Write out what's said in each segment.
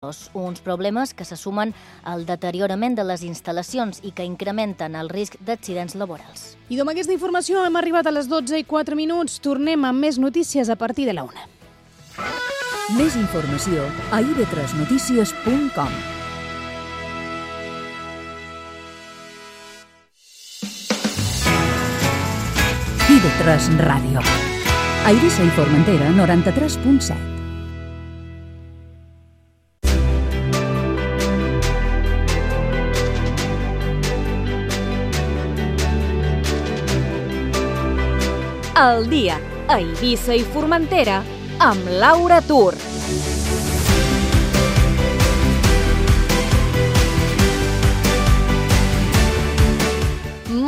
uns problemes que se sumen al deteriorament de les instal·lacions i que incrementen el risc d'accidents laborals. I amb aquesta informació hem arribat a les 12:04. Tornem amb més notícies a partir de la 1. Més informació a ib3notícies.com. IB3 Ràdio. A Eivissa i Formentera, 93.7. El dia a Eivissa i Formentera amb Laura Tur.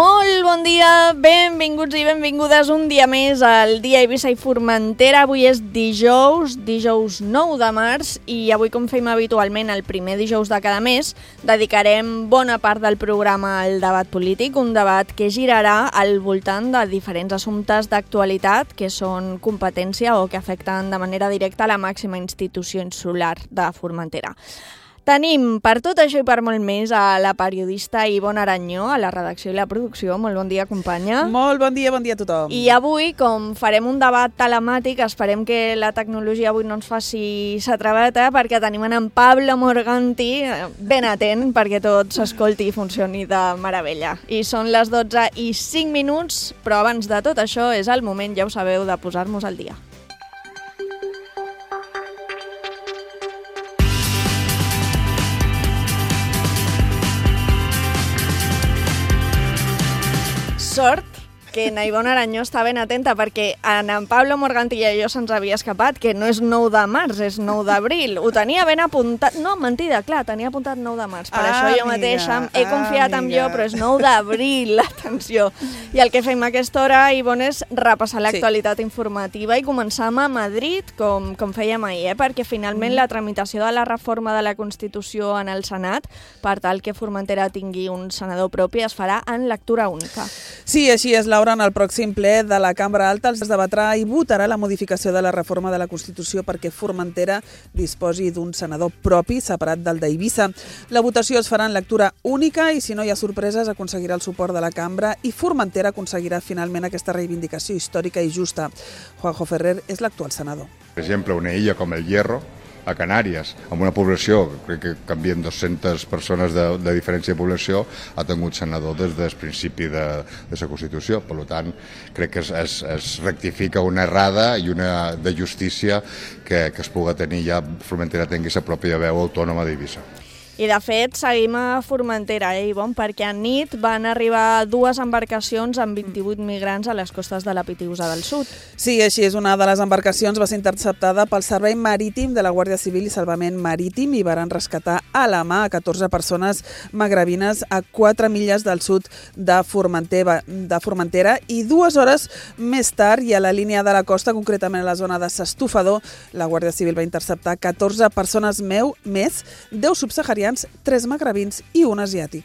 Molt bon dia, benvinguts i benvingudes un dia més al dia a Eivissa i Formentera. Avui és dijous 9 de març i avui, com fem habitualment el primer dijous de cada mes, dedicarem bona part del programa al debat polític, un debat que girarà al voltant de diferents assumptes d'actualitat que són competència o que afecten de manera directa la màxima institució insular de Formentera. Tenim per tot això i per molt més a la periodista Ivonne Aranyó, a la redacció i la producció. Molt bon dia, companya. Molt bon dia a tothom. I avui, com farem un debat telemàtic, esperem que la tecnologia avui no ens faci s'atraveta, perquè tenim en Pablo Morganti ben atent perquè tot s'escolti i funcioni de meravella. I són les 12:05, però abans de tot això és el moment, ja ho sabeu, de posar-nos al dia. Sort que en Ivonne Aranyó està ben atenta perquè en Pablo Morganti i a jo se'ns havia escapat que no és 9 de març, és 9 d'abril. Ho tenia ben apuntat. No, mentida, clar, tenia apuntat 9 de març. Per això jo mateixa he confiat en jo, però és 9 d'abril, atenció. I el que fem a aquesta hora, Ivonne, és repassar l'actualitat informativa i començar a Madrid, com fèiem ahir, perquè finalment la tramitació de la reforma de la Constitució en el Senat, per tal que Formentera tingui un senador propi, es farà en lectura única. Sí, així és, Laura. En el pròxim ple de la Cambra Alta es debatrà i votarà la modificació de la reforma de la Constitució perquè Formentera disposi d'un senador propi separat del d'Eivissa. La votació es farà en lectura única i, si no hi ha sorpreses, aconseguirà el suport de la Cambra i Formentera aconseguirà finalment aquesta reivindicació històrica i justa. Juanjo Ferrer és l'actual senador. Per exemple, una illa com el Hierro, a Canàries, amb una població, crec que canvien 200 persones de diferència de població, ha tingut senador des del principi de la Constitució. Per tant, crec que es rectifica una errada i una de justícia que es pugui tenir ja, Formentera tingui la pròpia veu autònoma d'Eivissa. I de fet seguim a Formentera, Ivonne, perquè a nit van arribar 2 embarcacions amb 28 migrants a les costes de la Pitiusa del Sud. Sí, així és. Una de les embarcacions va ser interceptada pel Servei Marítim de la Guàrdia Civil i Salvament Marítim i van rescatar a la mà a 14 persones magrebines a 4 milles del sud de Formentera i 2 hores més tard i a la línia de la costa, concretament a la zona de s'Estufador, la Guàrdia Civil va interceptar 14 persones més, 10 subsaharians, 3 magrebins i un asiàtic.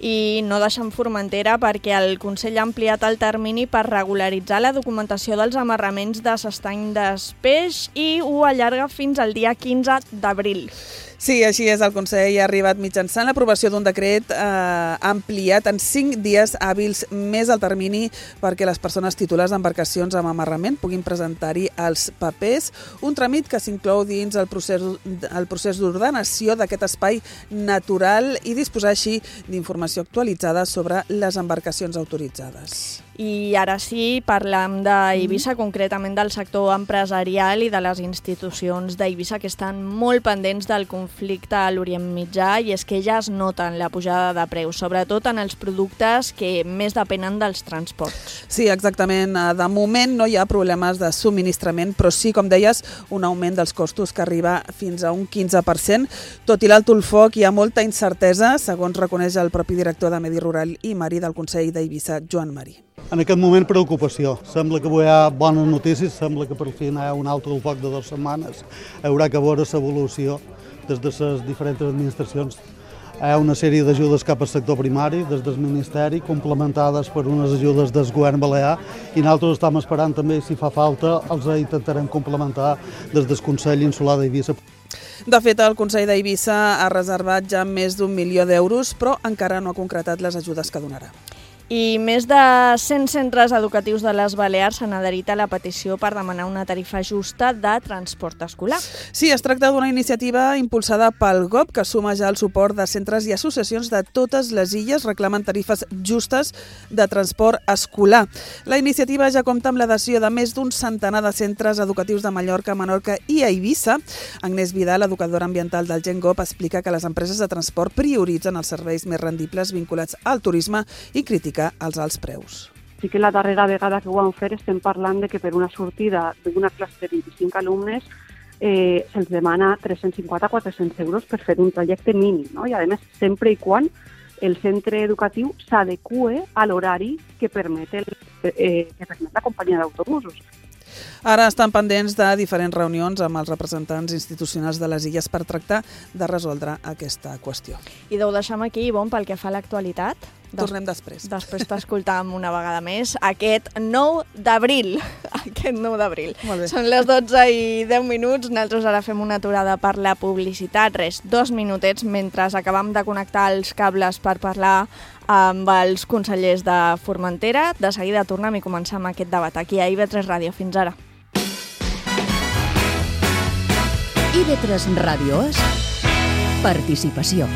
I no deixen Formentera perquè el Consell ha ampliat el termini per regularitzar la documentació dels amarraments de s'estany d'espeix i ho allarga fins al dia 15 d'abril. Sí, així és. El Consell ha arribat mitjançant l'aprovació d'un decret ampliat en 5 dies hàbils més el termini perquè les persones titulars d'embarcacions amb amarrament puguin presentar-hi els papers, un tràmit que s'inclou dins el procés d'ordenació d'aquest espai natural i disposar així d'informació actualitzada sobre les embarcacions autoritzades. I ara sí, parlem d'Eivissa, concretament del sector empresarial i de les institucions d'Eivissa que estan molt pendents del conflicte a l'Orient Mitjà, i és que ja es noten la pujada de preus, sobretot en els productes que més depenen dels transports. Sí, exactament. De moment no hi ha problemes de subministrament, però sí, com deies, un augment dels costos que arriba fins a un 15%. Tot i l'alto el foc, hi ha molta incertesa, segons reconeix el propi director de Medi Rural i Mari del Consell d'Eivissa, Joan Marí. En aquest moment, preocupació. Sembla que hi ha bones notícies, sembla que per fi hi ha un altre del foc de 2 setmanes. Haurà que veure l'evolució des de les diferents administracions. Hi ha una sèrie d'ajudes cap al sector primari, des del Ministeri, complementades per unes ajudes del Govern Balear, i nosaltres estem esperant també, si fa falta, els intentarem complementar des del Consell Insular d'Eivissa. De fet, el Consell d'Eivissa ha reservat ja més d'1 milió d'euros, però encara no ha concretat les ajudes que donarà. I més de 100 centres educatius de les Balears s'han adherit a la petició per demanar una tarifa justa de transport escolar. Sí, es tracta d'una iniciativa impulsada pel GOB que suma ja el suport de centres i associacions de totes les illes reclamen tarifes justes de transport escolar. La iniciativa ja compta amb l'adhesió de més d'un centenar de centres educatius de Mallorca, Menorca i Eivissa. Agnès Vidal, educadora ambiental del Gen GOB, explica que les empreses de transport prioritzen els serveis més rendibles vinculats al turisme i critica els alts preus. Sí que la darrera vegada que ho vam fer estem parlant de que per una sortida d'una classe de 25 alumnes se'ls demana 350-400 euros per fer un trajecte mínim, no? I a més sempre i quan el centre educatiu s'adeqüe a l'horari que permet la companyia d'autobusos. Ara estan pendents de diferents reunions amb els representants institucionals de les illes per tractar de resoldre aquesta qüestió. I ho deixem aquí, Ivonne, pel que fa a l'actualitat. Tornem després. Després t'escoltam una vegada més aquest 9 d'abril. Aquest 9 d'abril. Són les 12:10. Nosaltres ara fem una aturada per la publicitat. 2 minutets mentre acabam de connectar els cables per parlar amb els consellers de Formentera. De seguida tornem i començam aquest debat aquí a IB3 Ràdio. Fins ara. IB3 Ràdio és participació.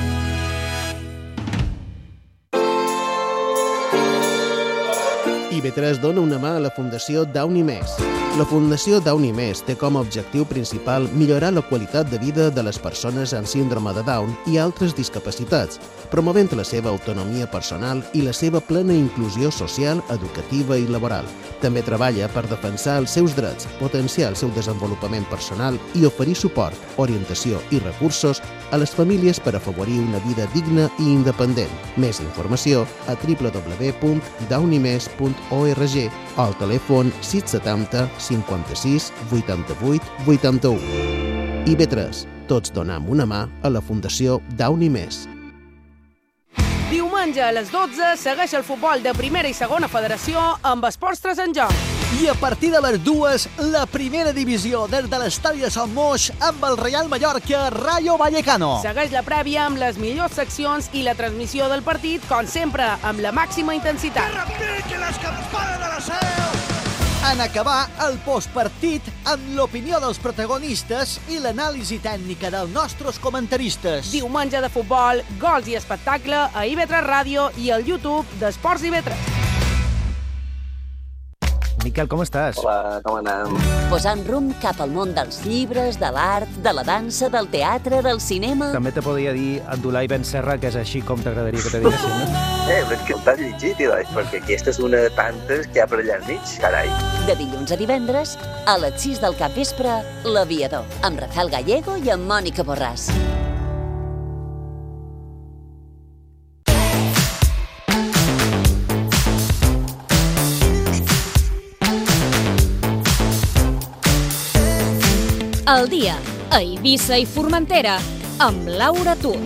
IB3 dona una mà a la Fundació Downy Més. La Fundació Downy Més té com a objectiu principal millorar la qualitat de vida de les persones amb síndrome de Down i altres discapacitats, promovent la seva autonomia personal i la seva plena inclusió social, educativa i laboral. També treballa per defensar els seus drets, potenciar el seu desenvolupament personal i oferir suport, orientació i recursos a les famílies per afavorir una vida digna i independent. Més informació a www.downymes.org o al telèfon 670 56 88 81. IB3. Tots donem una mà a la Fundació Downy Més. Diumenge a les 12 segueix el futbol de primera i segona federació amb Esports 3 en joc. I a partir de les 2, la primera divisió des de l'estadi de Sant Moix amb el Real Mallorca Rayo Vallecano. Segueix la prèvia amb les millors seccions i la transmissió del partit, com sempre, amb la màxima intensitat. Que repiquen les campanes de la seu! En acabar el postpartit amb l'opinió dels protagonistes i l'anàlisi tècnica dels nostres comentaristes. Diumenge de futbol, gols i espectacle a IB3 Ràdio i al YouTube d'Esports IB3. Miquel, com estàs? Hola, com anem? Posant rumb cap al món dels llibres, de l'art, de la dansa, del teatre, del cinema... També te podria dir Abdulai Ben Serra, que és així com t'agradaria que te diguessin, no? Però és que ho t'has llegit, perquè aquesta és una de tantes que hi ha per allà al mig, carai. De dilluns a divendres, a les 6 del capvespre, L'Aviador, amb Rafael Gallego i amb Mònica Borràs. El dia a Eivissa i Formentera amb Laura Tur.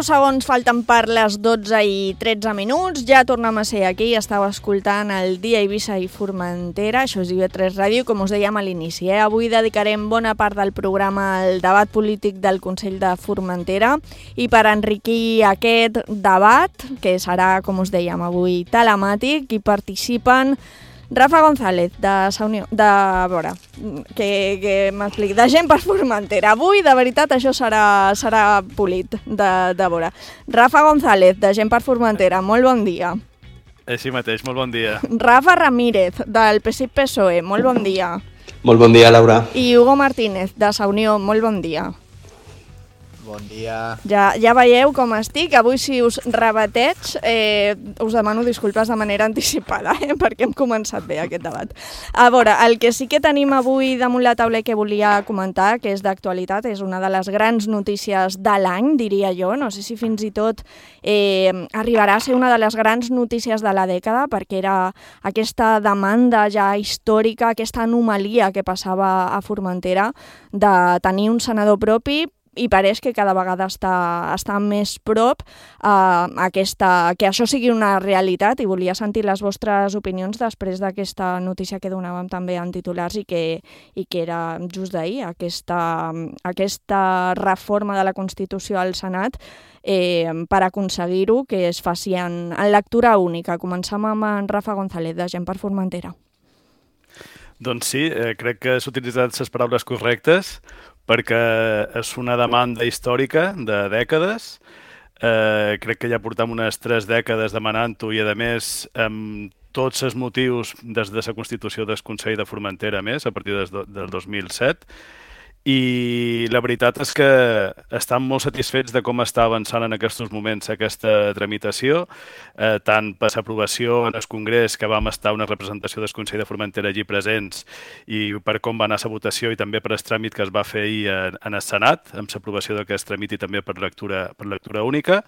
Segons falten per les 12:13. Ja tornem a ser aquí. Estava escoltant el dia Eivissa i Formentera. Això és IB3 Ràdio, com us dèiem a l'inici. Avui dedicarem bona part del programa al debat polític del Consell de Formentera i per enriquir aquest debat, que serà, com us dèiem avui, telemàtic, hi participen Rafa González, de Gent per Formentera. Avui, de veritat, això serà polit, de veure. Rafa González, de Gent per Formentera, molt bon dia. Així mateix, molt bon dia. Rafa Ramírez, del PSC-PSOE, molt bon dia. Molt bon dia, Laura. I Hugo Martínez, de Sa Unió, molt bon dia. Bon dia. Ja veieu com estic. Avui, si us rebateig, us demano disculpes de manera anticipada, perquè hem començat bé aquest debat. A veure, el que sí que tenim avui damunt la taula i que volia comentar, que és d'actualitat, és una de les grans notícies de l'any, diria jo. No sé si fins i tot arribarà a ser una de les grans notícies de la dècada, perquè era aquesta demanda ja històrica, aquesta anomalia que passava a Formentera de tenir un senador propi, i pareix que cada vegada està més prop que això sigui una realitat, i volia sentir les vostres opinions després d'aquesta notícia que donàvem també en titulars i que era just d'ahir, aquesta reforma de la Constitució al Senat per aconseguir-ho, que es faci en lectura única. Comencem amb en Rafa González, de Gent per Formentera. Doncs sí, crec que s'han utilitzat les paraules correctes, perquè és una demanda històrica de dècades. Crec que ja portem unes 3 dècades demanant-ho, i a més amb tots els motius des de la Constitució del Consell de Formentera, més a partir del 2007. I la veritat és que estan molt satisfets de com està avançant en aquests moments aquesta tramitació, tant per l'aprovació en el Congrés, que vam estar una representació del Consell de Formentera allí presents, i per com va anar la votació, i també per el tràmit que es va fer ahir en el Senat, amb l'aprovació d'aquest tràmit i també per lectura única.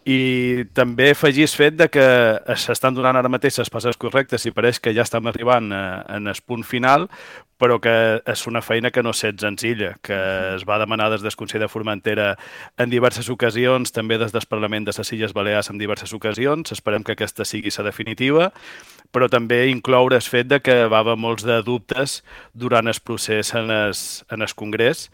I també afegir el fet que s'estan donant ara mateix les passes correctes i pareix que ja estem arribant en el punt final, però que és una feina que no és senzilla, que es va demanar des del Consell de Formentera en diverses ocasions, també des del Parlament de les Illes Balears en diverses ocasions. Esperem que aquesta sigui la definitiva, però també incloure el fet que va haver molts de dubtes durant el procés en el Congrés,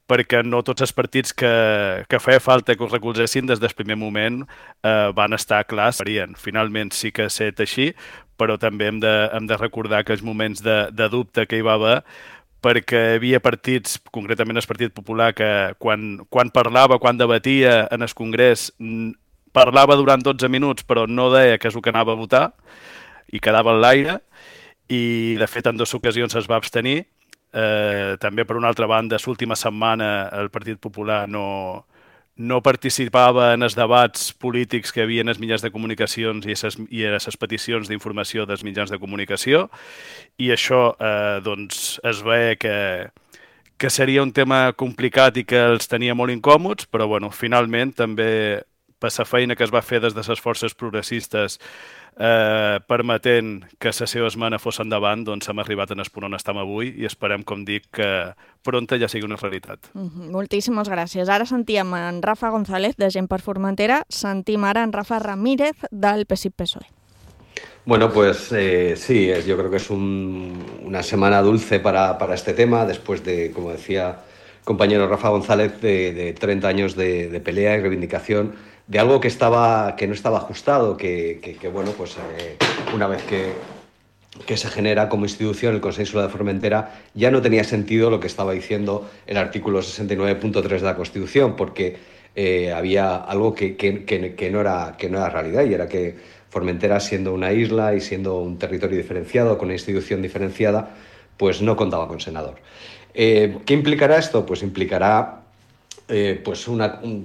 perquè no tots els partits que feia falta que ho recolzessin des del primer moment van estar clars. Finalment sí que ha estat així, però també hem de recordar aquells moments de dubte que hi va haver, perquè hi havia partits, concretament el Partit Popular, que quan parlava, quan debatia en el Congrés, parlava durant 12 minuts, però no deia què és el que anava a votar, i quedava en l'aire, i de fet en 2 ocasions es va abstenir. També, per una altra banda, l'última setmana el Partit Popular no participava en els debats polítics que hi havia en els mitjans de comunicacions i en les peticions d'informació dels mitjans de comunicació, i això doncs es veia que seria un tema complicat i que els tenia molt incòmods, però bueno, finalment també per la feina que es va fer des de les forces progressistes permetent que la seva esmena fos endavant, doncs hem arribat en el punt on estem avui, i esperem, com dic, que pronta ja sigui una realitat. Moltíssimes gràcies. Ara sentíem en Rafa González, de Gent per Formentera, sentim ara en Rafa Ramírez, del PSIC-PSOE. Bueno, pues sí, yo creo que es una semana dulce para este tema, después de, como decía el compañero Rafa González, de 30 años de pelea y reivindicación de algo que no estaba ajustado, que bueno, pues una vez que se genera como institución el Consell Insular de Formentera, ya no tenía sentido lo que estaba diciendo el artículo 69.3 de la Constitución, porque había algo que no era realidad, y era que Formentera, siendo una isla y siendo un territorio diferenciado, con una institución diferenciada, pues no contaba con senador. ¿Qué implicará esto? Pues implicará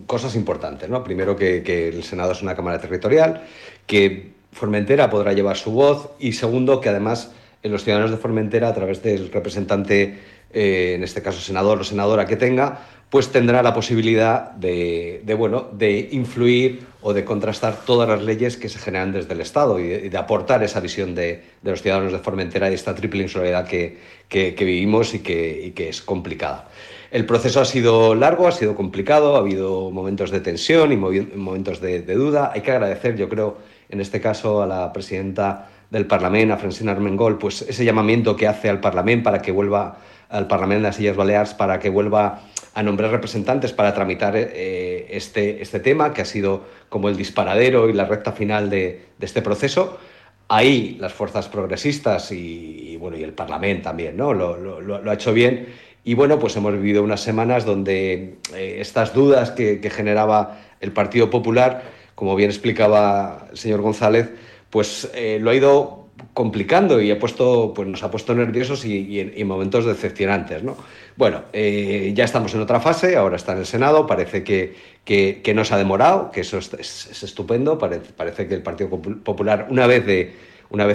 cosas importantes, ¿no? Primero, que el Senado es una cámara territorial, que Formentera podrá llevar su voz, y segundo, que además los ciudadanos de Formentera, a través del representante, en este caso senador o senadora que tenga, pues tendrá la posibilidad de influir o de contrastar todas las leyes que se generan desde el Estado, y de aportar esa visión de los ciudadanos de Formentera y esta triple insularidad que vivimos y que es complicada. El proceso ha sido largo, ha sido complicado, ha habido momentos de tensión y momentos de duda. Hay que agradecer, yo creo, en este caso a la presidenta del Parlamento, a Francina Armengol, pues ese llamamiento que hace al Parlamento para que vuelva al Parlamento de las Illes Balears, para que vuelva a nombrar representantes para tramitar este tema, que ha sido como el disparadero y la recta final de este proceso. Ahí las fuerzas progresistas y el Parlamento también, ¿no? Lo ha hecho bien. Y bueno, pues hemos vivido unas semanas donde estas dudas que generaba el Partido Popular, como bien explicaba el señor González, pues lo ha ido complicando y nos ha puesto nerviosos y en momentos decepcionantes, ¿no? Bueno, ya estamos en otra fase, ahora está en el Senado, parece que no se ha demorado, que eso es estupendo, parece que el Partido Popular, una vez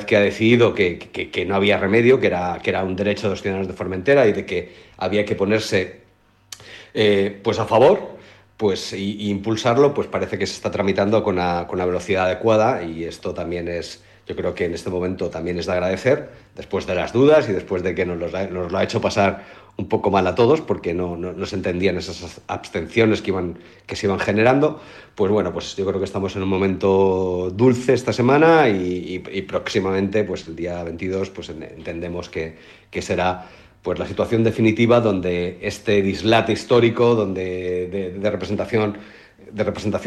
que ha decidido que no había remedio, que era un derecho de los ciudadanos de Formentera y de que había que ponerse pues a favor, pues y impulsarlo, pues parece que se está tramitando con la velocidad adecuada, y esto también yo creo que en este momento también es de agradecer, después de las dudas y después de que nos lo ha hecho pasar un poco mal a todos, porque no se entendían esas abstenciones que se iban generando. Pues bueno, pues yo creo que estamos en un momento dulce esta semana y próximamente, pues el día 22, pues entendemos que será pues la situación definitiva donde este dislate histórico de representación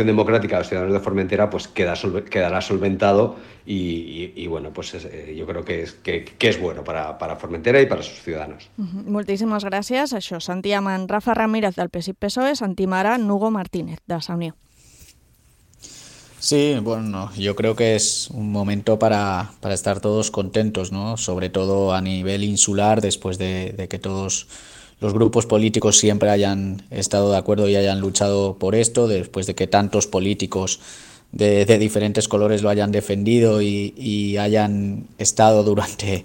democrática de los ciudadanos de Formentera pues quedará solventado y bueno, pues yo creo que es bueno para Formentera y para sus ciudadanos. Moltíssimes gràcies. Això, sentíem en Rafa Ramírez del PSIC-PSOE, sentim ara Nugo Martínez de Saunió. Sí, bueno, yo creo que es un momento para estar todos contentos, ¿no? Sobre todo a nivel insular, después de que todos los grupos políticos siempre hayan estado de acuerdo y hayan luchado por esto, después de que tantos políticos de diferentes colores lo hayan defendido y hayan estado durante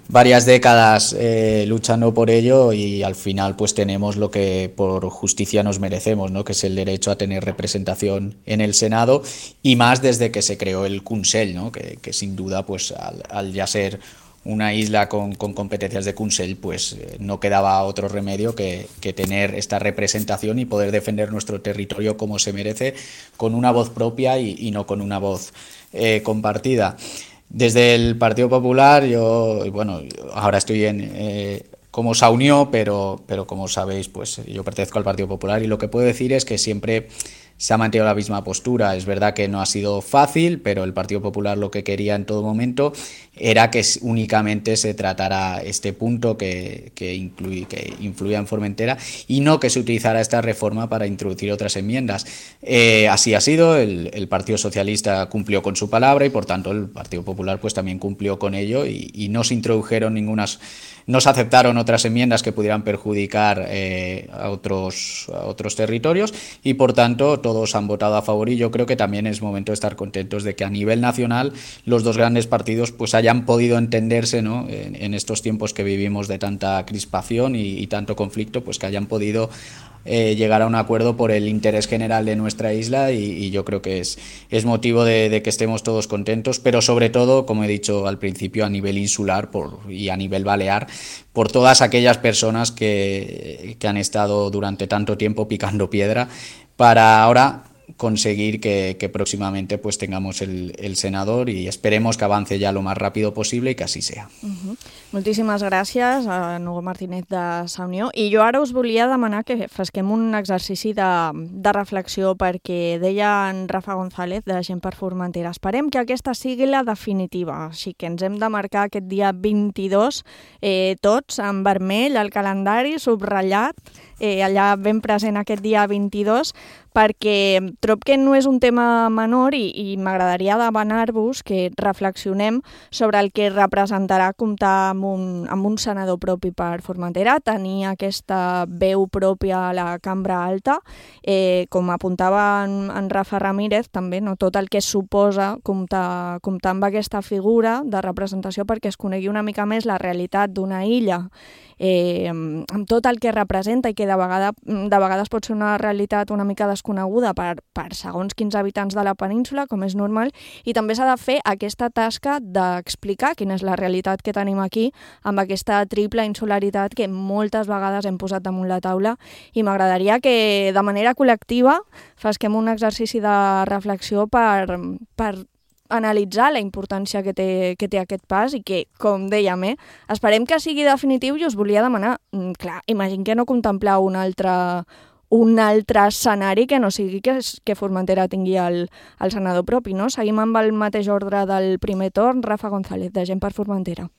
varias décadas luchando por ello, y al final pues tenemos lo que por justicia nos merecemos, ¿no? Que es el derecho a tener representación en el Senado, y más desde que se creó el Consell, ¿no? Que sin duda pues al ya ser una isla con competencias de Consell, pues no quedaba otro remedio que tener esta representación y poder defender nuestro territorio como se merece, con una voz propia y no con una voz compartida. Desde el Partido Popular, yo ahora estoy como Saunió, pero como sabéis, pues yo pertenezco al Partido Popular, y lo que puedo decir es que siempre se ha mantenido la misma postura. Es verdad que no ha sido fácil, pero el Partido Popular lo que quería en todo momento era que únicamente se tratara este punto que influía en Formentera, y no que se utilizara esta reforma para introducir otras enmiendas. Así ha sido, el Partido Socialista cumplió con su palabra y por tanto el Partido Popular pues también cumplió con ello, y no se introdujeron no se aceptaron otras enmiendas que pudieran perjudicar a otros territorios, y por tanto todos han votado a favor, y yo creo que también es momento de estar contentos de que a nivel nacional los dos grandes partidos pues hayan podido entenderse, ¿no? En estos tiempos que vivimos de tanta crispación y tanto conflicto, pues que hayan podido llegar a un acuerdo por el interés general de nuestra isla, y yo creo que es motivo de que estemos todos contentos, pero sobre todo, como he dicho al principio, a nivel insular y a nivel balear, por todas aquellas personas que han estado durante tanto tiempo picando piedra para ahora conseguir que próximamente pues tengamos el senador, y esperemos que avance ya lo más rápido posible y que así sea. Moltíssimes gràcies a Nugo Martínez de Saunió, i jo ara us volia demanar que fesquem un exercici de reflexió, perquè deia en Rafa González de Gent per Formentera, esperem que aquesta sigui la definitiva, així que ens hem de marcar aquest dia 22 tots en vermell al calendari, subratllat, allà ben present aquest dia 22, perquè trobo que no és un tema menor i m'agradaria demanar-vos que reflexionem sobre el que representarà comptar amb un senador propi per Formentera, tenir aquesta veu pròpia a la cambra alta, com apuntava en Rafa Ramírez, també, no, tot el que suposa comptar amb aquesta figura de representació, perquè es conegui una mica més la realitat d'una illa, amb tot el que representa, i que de vegades pot ser una realitat una mica desconeguda per segons quins habitants de la península, com és normal, i també s'ha de fer aquesta tasca d'explicar quina és la realitat que tenim aquí, amb aquesta triple insularitat que moltes vegades hem posat damunt la taula, i m'agradaria que de manera col·lectiva fesquem un exercici de reflexió per analitzar la importància que té aquest pas, i que, com dèiem, esperem que sigui definitiu. I us volia demanar, clar, imagino que no contemplar un altre escenari que no sigui que Formentera tingui el senador propi, no? Seguim amb el mateix ordre del primer torn. Rafa González, de Gent per Formentera.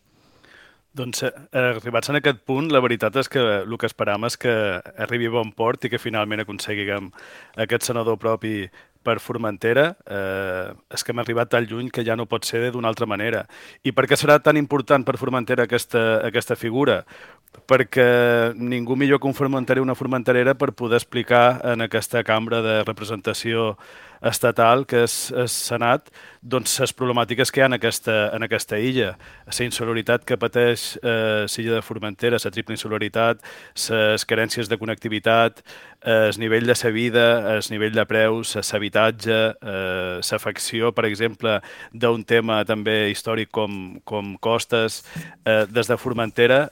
Doncs arribats en aquest punt, la veritat és que el que esperam és que arribi a bon port i que finalment aconseguim aquest senador propi per Formentera, és que hem arribat tan lluny que ja no pot ser d'una altra manera. I per què serà tan important per Formentera aquesta figura? Perquè ningú millor que un formenterer o una formenterera per poder explicar en aquesta cambra de representació estatal, que és Senat, doncs les problemàtiques que hi ha en aquesta illa. La insolaritat que pateix l'illa de Formentera, la triple insolaritat, les carències de connectivitat, el nivell de la vida, el nivell de preus, l'habitatge, l'afecció, per exemple, d'un tema també històric com costes. Des de Formentera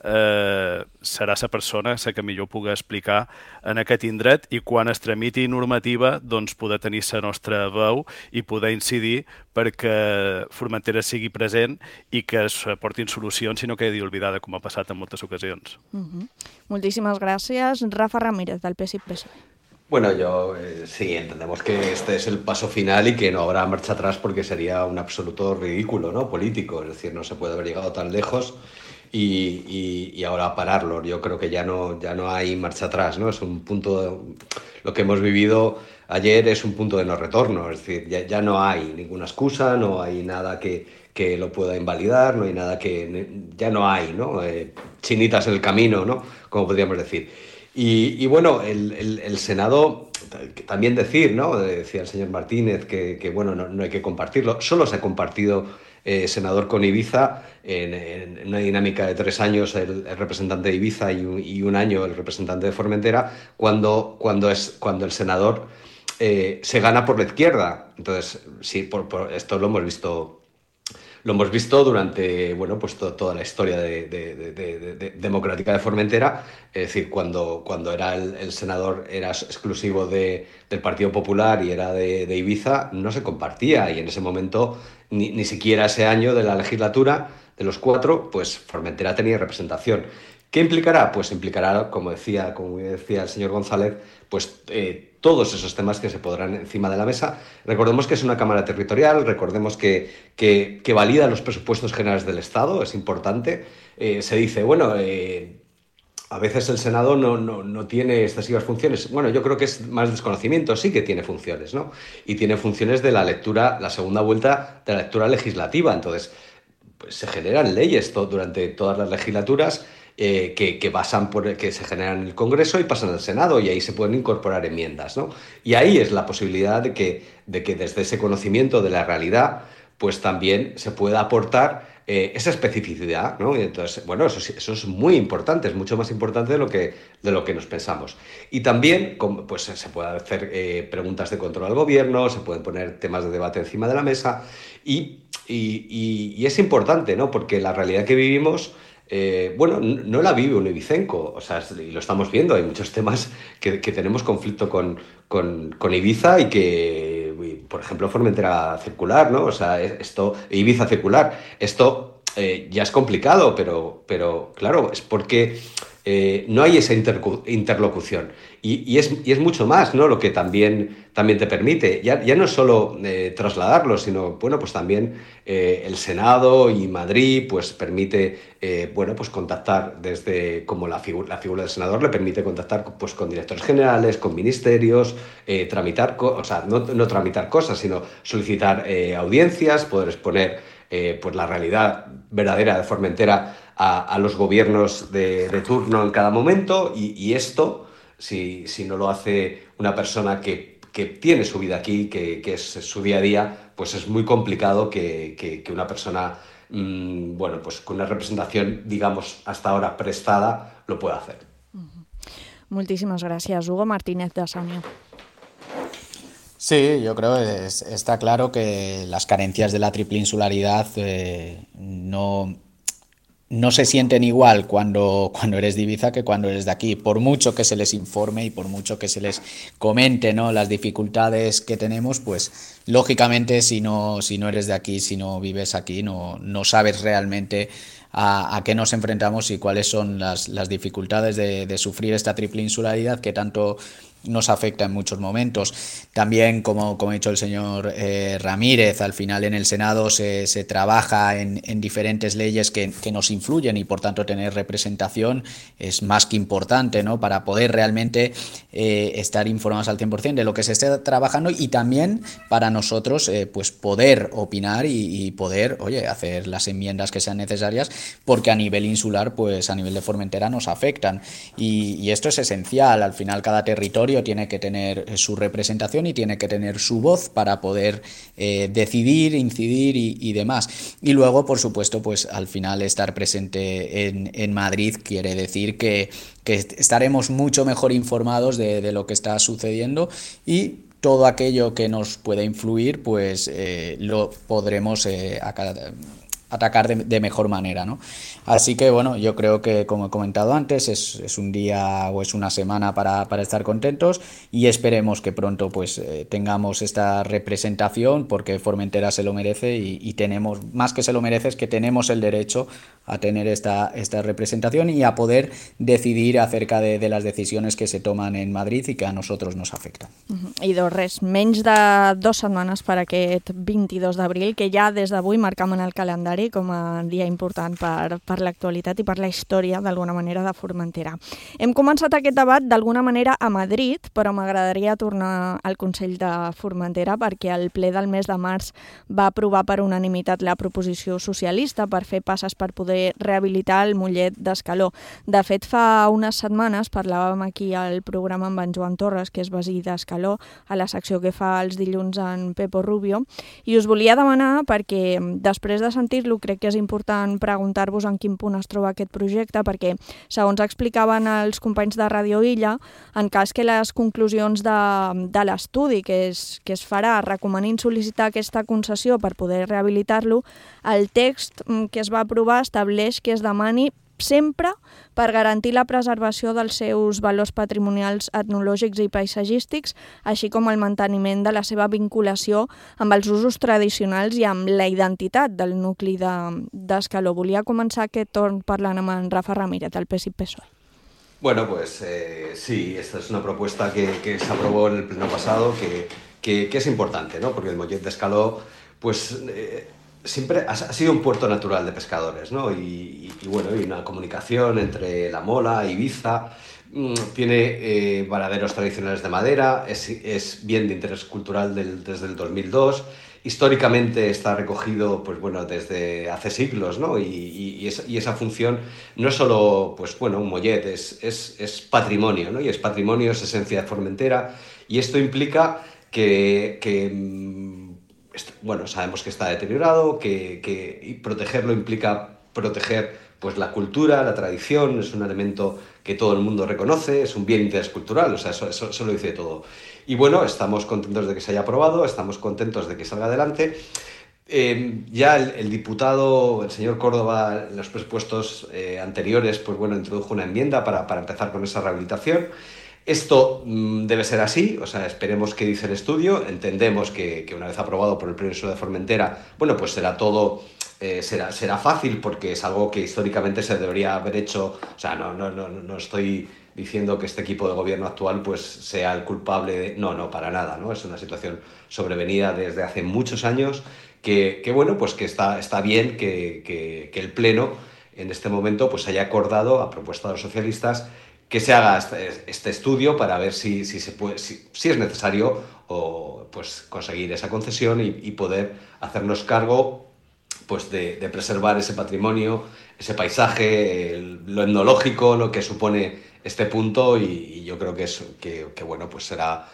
serà la persona que millor pugui explicar en aquest indret i quan es tramiti normativa doncs poder tenir la nostra veu i poder incidir perquè Formentera sigui present i que es portin solucions i no quedi oblidada, com ha passat en moltes ocasions. Moltíssimes gràcies. Rafa Ramírez, del PSI-PSOE. Bueno, sí, entendemos que este es el paso final y que no habrá marcha atrás porque sería un absoluto ridículo, ¿no?, político. Es decir, no se puede haber llegado tan lejos y ahora pararlo. Yo creo que ya no hay marcha atrás, ¿no? Es un punto, lo que hemos vivido ayer es un punto de no retorno. Es decir, ya no hay ninguna excusa, no hay nada que lo pueda invalidar, no hay nada ya no hay, ¿no? Chinitas en el camino, ¿no?, como podríamos decir. Y bueno, el Senado, también decir, ¿no?, decía el señor Martínez que bueno, no hay que compartirlo. Solo se ha compartido, senador, con Ibiza, en una dinámica de 3 años el representante de Ibiza y un año el representante de Formentera, cuando el senador se gana por la izquierda. Entonces, sí, esto lo hemos visto. Lo hemos visto durante, bueno, pues toda la historia democrática de Formentera. Es decir, cuando era el senador era exclusivo del Partido Popular y era de Ibiza, no se compartía. Y en ese momento, ni siquiera ese año de la legislatura, de los 4, pues Formentera tenía representación. ¿Qué implicará? Pues implicará, como decía el señor González, pues todos esos temas que se podrán encima de la mesa. Recordemos que es una Cámara Territorial, recordemos que valida los presupuestos generales del Estado, es importante. Se dice, bueno, a veces el Senado no tiene excesivas funciones. Bueno, yo creo que es más desconocimiento, sí que tiene funciones, ¿no? Y tiene funciones de la lectura, la segunda vuelta de la lectura legislativa. Entonces, pues se generan leyes durante todas las legislaturas, que se generan en el Congreso y pasan al Senado, y ahí se pueden incorporar enmiendas, ¿no? Y ahí es la posibilidad de que desde ese conocimiento de la realidad, pues también se pueda aportar esa especificidad, ¿no? Y entonces, bueno, eso es muy importante, es mucho más importante de lo que nos pensamos. Y también, pues se pueden hacer preguntas de control al gobierno, se pueden poner temas de debate encima de la mesa, y es importante, ¿no? Porque la realidad que vivimos, bueno, no la vive un ibicenco, o sea, y lo estamos viendo, hay muchos temas que tenemos conflicto con Ibiza y que, por ejemplo, Formentera circular, ¿no? O sea, Ibiza circular, esto ya es complicado, pero claro, es porque no hay esa interlocución. Y es mucho más, ¿no?, lo que también te permite. Ya no es solo trasladarlo, sino, bueno, pues también el Senado y Madrid pues permite, bueno, pues contactar desde, como la figura del senador le permite contactar pues con directores generales, con ministerios, tramitar, o sea, no tramitar cosas, sino solicitar audiencias, poder exponer pues la realidad verdadera de Formentera a los gobiernos de turno en cada momento, y esto, si no lo hace una persona que tiene su vida aquí, que es su día a día, pues es muy complicado que una persona, bueno, pues con una representación, digamos, hasta ahora prestada, lo pueda hacer. Moltíssimes gràcies. Hugo Martínez, de Sània. Sí, yo creo que está claro que las carencias de la triple insularidad no se sienten igual cuando eres de Ibiza que cuando eres de aquí. Por mucho que se les informe y por mucho que se les comente, ¿no?, las dificultades que tenemos, pues lógicamente si no eres de aquí, si no vives aquí, no sabes realmente a qué nos enfrentamos y cuáles son las dificultades de sufrir esta triple insularidad que tanto nos afecta en muchos momentos. También, como ha dicho el señor Ramírez, al final en el Senado se trabaja en diferentes leyes que nos influyen y por tanto tener representación es más que importante, ¿no? Para poder realmente estar informados al 100% de lo que se esté trabajando y también para nosotros pues poder opinar y poder, hacer las enmiendas que sean necesarias, porque a nivel insular, pues a nivel de Formentera nos afectan y esto es esencial. Al final cada territorio tiene que tener su representación y tiene que tener su voz para poder decidir, incidir y demás. Y luego, por supuesto, pues al final estar presente en Madrid quiere decir que estaremos mucho mejor informados de lo que está sucediendo y todo aquello que nos pueda influir, pues lo podremos atacar de mejor manera, ¿no? Así que bueno, yo creo que, como he comentado antes, es un día o es una semana para estar contentos y esperemos que pronto pues tengamos esta representación, porque Formentera se lo merece y tenemos, más que se lo merece, es que tenemos el derecho a tener esta representación y a poder decidir acerca de las decisiones que se toman en Madrid y que a nosotros nos afectan. I res, menys de 2 setmanes per aquest 22 d'abril, que ja des d'avui marcam en el calendari com a dia important per l'actualitat i per la història, d'alguna manera, de Formentera. Hem començat aquest debat d'alguna manera a Madrid, però m'agradaria tornar al Consell de Formentera perquè el ple del mes de març va aprovar per unanimitat la proposició socialista per fer passes per poder rehabilitar el Mollet d'Escaló. De fet, fa unes setmanes parlàvem aquí al programa amb en Joan Torres, que és veí d'Escaló, a la secció que fa els dilluns en Pepo Rubio, i us volia demanar, perquè després de sentir-lo crec que és important preguntar-vos en quin punt es troba aquest projecte, perquè, segons explicaven els companys de Radio Illa, en cas que les conclusions de l'estudi que es farà recomanin sol·licitar aquesta concessió per poder rehabilitar-lo, el text que es va aprovar estableix que es demani sempre per garantir la preservació dels seus valors patrimonials etnològics i paisatgístics, així com el manteniment de la seva vinculació amb els usos tradicionals i amb la identitat del nucli d'Escaló. Volia començar aquest torn parlant amb en Rafa Ramírez, del PSI-PSOE. Bueno, pues sí, esta es una propuesta que se aprobó en el pleno pasado, que es importante, ¿no? Porque el Mollet d'Escaló, pues siempre ha sido un puerto natural de pescadores, ¿no? Y bueno, hay una comunicación entre La Mola, Ibiza, tiene varaderos tradicionales de madera, es bien de interés cultural desde el 2002, históricamente está recogido, pues bueno, desde hace siglos, ¿no? Y esa función no es solo, pues bueno, un mollet, es patrimonio, ¿no? Y es patrimonio, es esencia de Formentera, y esto implica que bueno, sabemos que está deteriorado, y protegerlo implica proteger pues la cultura, la tradición, es un elemento que todo el mundo reconoce, es un bien de interés cultural, o sea, eso lo dice todo. Y bueno, estamos contentos de que se haya aprobado, estamos contentos de que salga adelante. Ya el diputado, el señor Córdoba, en los presupuestos anteriores, pues bueno, introdujo una enmienda para empezar con esa rehabilitación. Esto debe ser así, o sea, esperemos que dice el estudio, entendemos que una vez aprobado por el Pleno de Formentera, bueno, pues será todo, será fácil porque es algo que históricamente se debería haber hecho, o sea, no estoy diciendo que este equipo de gobierno actual pues sea el culpable de... No, para nada, ¿no? Es una situación sobrevenida desde hace muchos años que bueno, pues que está bien que el Pleno en este momento pues haya acordado, a propuesta de los socialistas, que se haga este estudio para ver si es necesario o pues conseguir esa concesión y poder hacernos cargo pues de preservar ese patrimonio, ese paisaje, lo etnológico, lo que supone este punto, y yo creo que bueno, pues será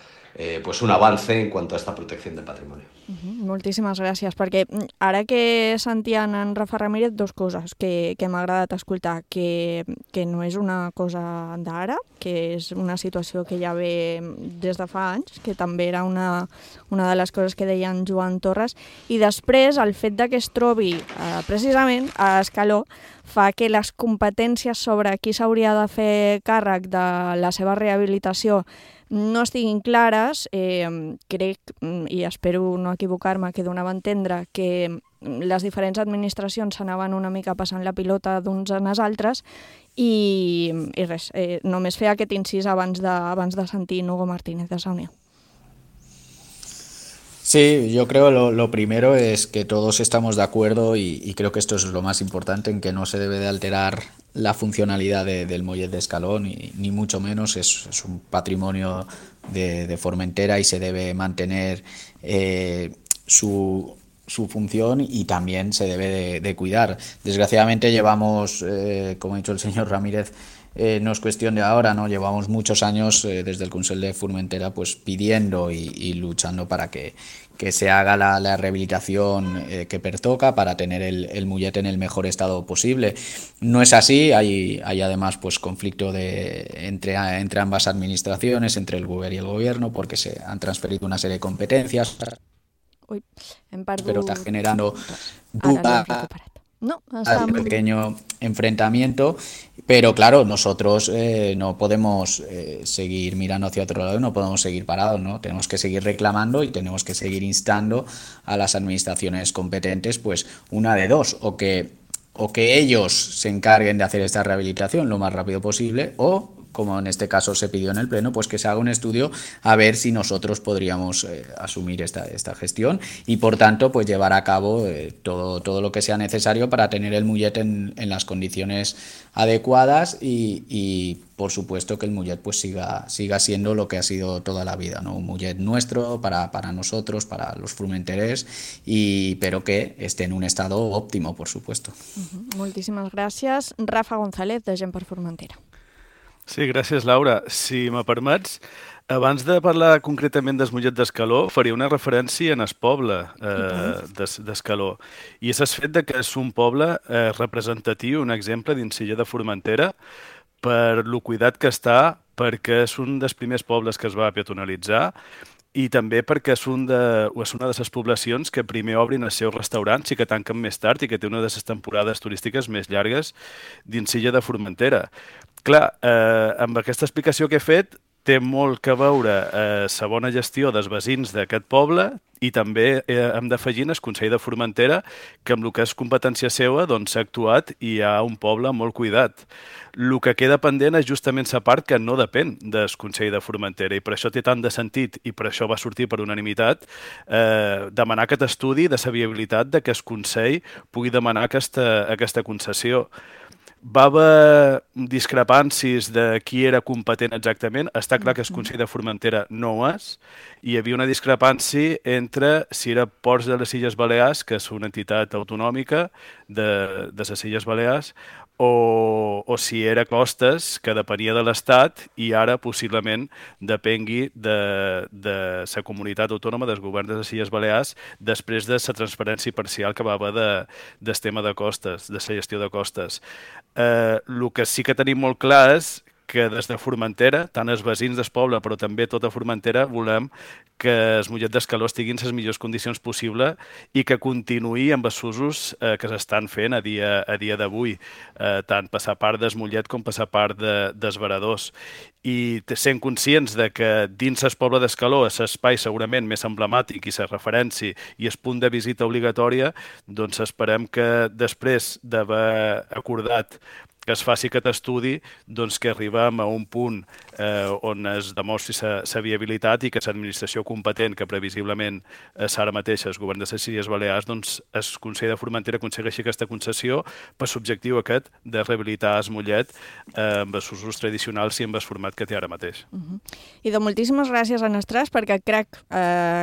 pues un avance en cuanto a esta protección del patrimonio. Moltíssimes gràcies, perquè ara que sentien en Rafa Ramírez, 2 coses que m'ha agradat escoltar, que no és una cosa d'ara, que és una situació que ja ve des de fa anys, que també era una de les coses que deia en Joan Torres, i després el fet de que es trobi precisament a Escaló fa que les competències sobre qui s'hauria de fer càrrec de la seva rehabilitació no estiguin clares, crec, i espero no equivocar-me, que donava a entendre que les diferents administracions s'anaven una mica passant la pilota d'uns en els altres i res, només fer aquest incís abans de sentir Hugo Martínez de Saunier. Sí, yo creo lo primero es que todos estamos de acuerdo y creo que esto es lo más importante, en que no se debe de alterar la funcionalidad del Mollet de Escaló, ni mucho menos, es un patrimonio de Formentera y se debe mantener su función y también se debe de cuidar. Desgraciadamente llevamos, como ha dicho el señor Ramírez, no es cuestión de ahora, ¿no? Llevamos muchos años desde el Consell de Formentera pues pidiendo y luchando para que se haga la rehabilitación que pertoca para tener el Mollet en el mejor estado posible. No es así, hay además pues conflicto entre ambas administraciones, entre el Govern y el Gobierno, porque se han transferido una serie de competencias. Uy, pero está generando duda. No, un pequeño enfrentamiento, pero claro, nosotros no podemos seguir mirando hacia otro lado, no podemos seguir parados, ¿no? Tenemos que seguir reclamando y tenemos que seguir instando a las administraciones competentes, pues una de dos, o que ellos se encarguen de hacer esta rehabilitación lo más rápido posible, o como en este caso se pidió en el Pleno, pues que se haga un estudio a ver si nosotros podríamos asumir esta gestión y, por tanto, pues llevar a cabo todo lo que sea necesario para tener el Mollet en las condiciones adecuadas y por supuesto, que el Mollet pues siga siendo lo que ha sido toda la vida, ¿no? Un Mollet nuestro, para nosotros, para los formenterers, pero que esté en un estado óptimo, por supuesto. Moltíssimes gràcies. Rafa González, de Gent per Formentera. Sí, gràcies, Laura. Si me permets, abans de parlar concretament del Mollet d'Escaló, faria una referència en el poble d'Escaló. I és el fet que és un poble representatiu, un exemple d'Illa de Formentera, per lo cuidat que està, perquè és un dels primers pobles que es va peatonalitzar i també perquè és una de les poblacions que primer obrin els seus restaurants i que tanquen més tard i que té una de les temporades turístiques més llargues dins Illa de Formentera. Clar, amb aquesta explicació que he fet, té molt que veure la bona gestió dels veïns d'aquest poble i també hem d'afegir el Consell de Formentera, que amb el que és competència seva s'ha actuat i hi ha un poble molt cuidat. El que queda pendent és justament la part que no depèn del Consell de Formentera i per això té tant de sentit i per això va sortir per unanimitat demanar aquest estudi de la viabilitat de que el Consell pugui demanar aquesta concessió. Va haver discrepàncies de qui era competent exactament. Està clar que el Consell de Formentera no ho és. Hi havia una discrepància entre si era Ports de les Illes Balears, que és una entitat autonòmica de les Illes Balears, o si era Costes, que depenia de l'Estat i ara possiblement depengui de la comunitat autònoma del govern de les Illes Balears després de la transferència parcial que va haver del tema de costes, de la gestió de costes. El que sí que tenim molt clar és que des de Formentera, tant els veïns del poble, però també tota Formentera, volem que el Mollet d'Escaló estigui en les millors condicions possibles i que continuï amb els usos que s'estan fent a dia d'avui, tant per la part del Mollet com per la part dels varadors. I sent conscients de que dins el poble d'Escaló és l'espai segurament més emblemàtic i la referència i el punt de visita obligatòria, doncs esperem que després d'haver acordat que es faci aquest estudi, doncs que arribem a un punt on es demostri la viabilitat i que l'administració competent, que previsiblement és ara mateix el govern de les Illes Balears, doncs el Consell de Formentera aconsegueixi aquesta concessió per l'objectiu aquest de rehabilitar el Mollet amb els usos tradicionals i amb el format que té ara mateix. I de moltíssimes gràcies a Nestràs, perquè crec,